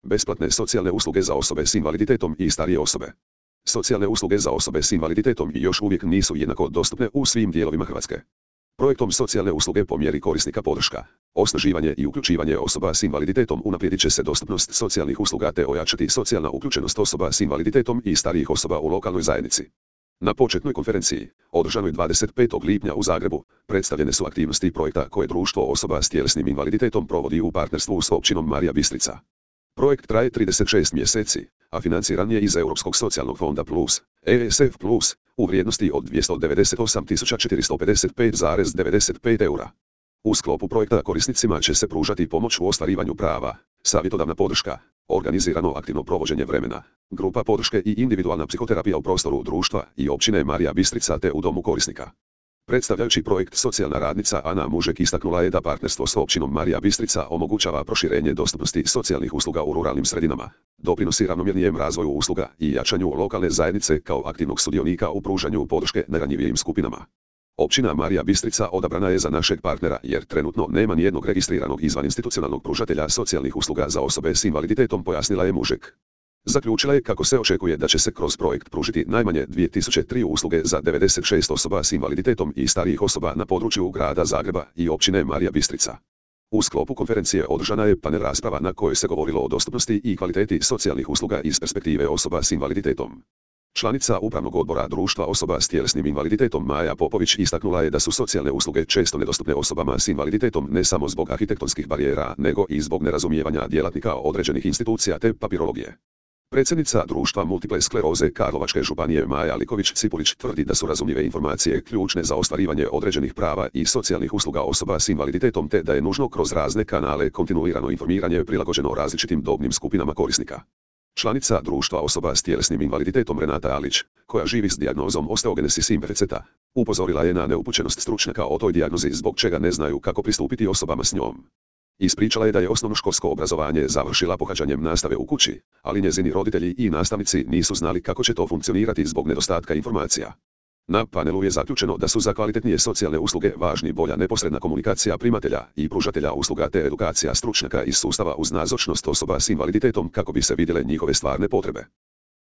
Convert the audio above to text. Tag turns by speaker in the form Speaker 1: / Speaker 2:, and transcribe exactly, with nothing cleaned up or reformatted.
Speaker 1: Besplatne socijalne usluge za osobe s invaliditetom i starije osobe. Socijalne usluge za osobe s invaliditetom još uvijek nisu jednako dostupne u svim dijelovima Hrvatske. Projektom socijalne usluge po mjeri korisnika podrška, osnaživanje i uključivanje osoba s invaliditetom unaprijedit će se dostupnost socijalnih usluga te ojačati socijalna uključenost osoba s invaliditetom i starijih osoba u lokalnoj zajednici. Na početnoj konferenciji, održanoj dvadeset petog lipnja u Zagrebu, predstavljene su aktivnosti projekta koje Društvo osoba s tjelesnim invaliditetom provodi u partnerstvu s općinom Marija Bistrica. Projekt traje trideset šest mjeseci, a financiran je iz Europskog socijalnog fonda plus, E S F plus, u vrijednosti od dvjesto devedeset osam tisuća četiristo pedeset pet zarez devedeset pet eura. U sklopu projekta korisnicima će se pružati pomoć u ostvarivanju prava, savjetodavna podrška, organizirano aktivno provođenje vremena, grupa podrške i individualna psihoterapija u prostoru društva i općine Marija Bistrica te u domu korisnika. Predstavljajući projekt, socijalna radnica Ana Mužek istaknula je da partnerstvo s općinom Marija Bistrica omogućava proširenje dostupnosti socijalnih usluga u ruralnim sredinama, doprinosi ravnomjernijem razvoju usluga i jačanju lokalne zajednice kao aktivnog sudionika u pružanju podrške najranjivijim skupinama. Općina Marija Bistrica odabrana je za našeg partnera jer trenutno nema nijednog registriranog izvaninstitucionalnog pružatelja socijalnih usluga za osobe s invaliditetom, pojasnila je Mužek. Zaključila je kako se očekuje da će se kroz projekt pružiti najmanje dvije tisuće tri usluge za devedeset šest osoba s invaliditetom i starijih osoba na području grada Zagreba i općine Marija Bistrica. U sklopu konferencije održana je panel rasprava na kojoj se govorilo o dostupnosti i kvaliteti socijalnih usluga iz perspektive osoba s invaliditetom. Članica upravnog odbora Društva osoba s tjelesnim invaliditetom Maja Popović istaknula je da su socijalne usluge često nedostupne osobama s invaliditetom ne samo zbog arhitektonskih barijera nego i zbog nerazumijevanja djelatnika određenih institucija te papirologije. Predsjednica Društva multiple skleroze Karlovačke županije Maja Liković-Cipulić tvrdi da su razumljive informacije ključne za ostvarivanje određenih prava i socijalnih usluga osoba s invaliditetom te da je nužno kroz razne kanale kontinuirano informiranje prilagođeno različitim dobnim skupinama korisnika. Članica Društva osoba s tjelesnim invaliditetom Renata Alić, koja živi s dijagnozom osteogenesis imperfecta, upozorila je na neupućenost stručnjaka o toj dijagnozi zbog čega ne znaju kako pristupiti osobama s njom. Ispričala je da je osnovnoškolsko obrazovanje završila pohađanjem nastave u kući, ali njezini roditelji i nastavnici nisu znali kako će to funkcionirati zbog nedostatka informacija. Na panelu je zaključeno da su za kvalitetnije socijalne usluge važni bolja neposredna komunikacija primatelja i pružatelja usluga te edukacija stručnjaka iz sustava uz nazočnost osoba s invaliditetom kako bi se vidjele njihove stvarne potrebe.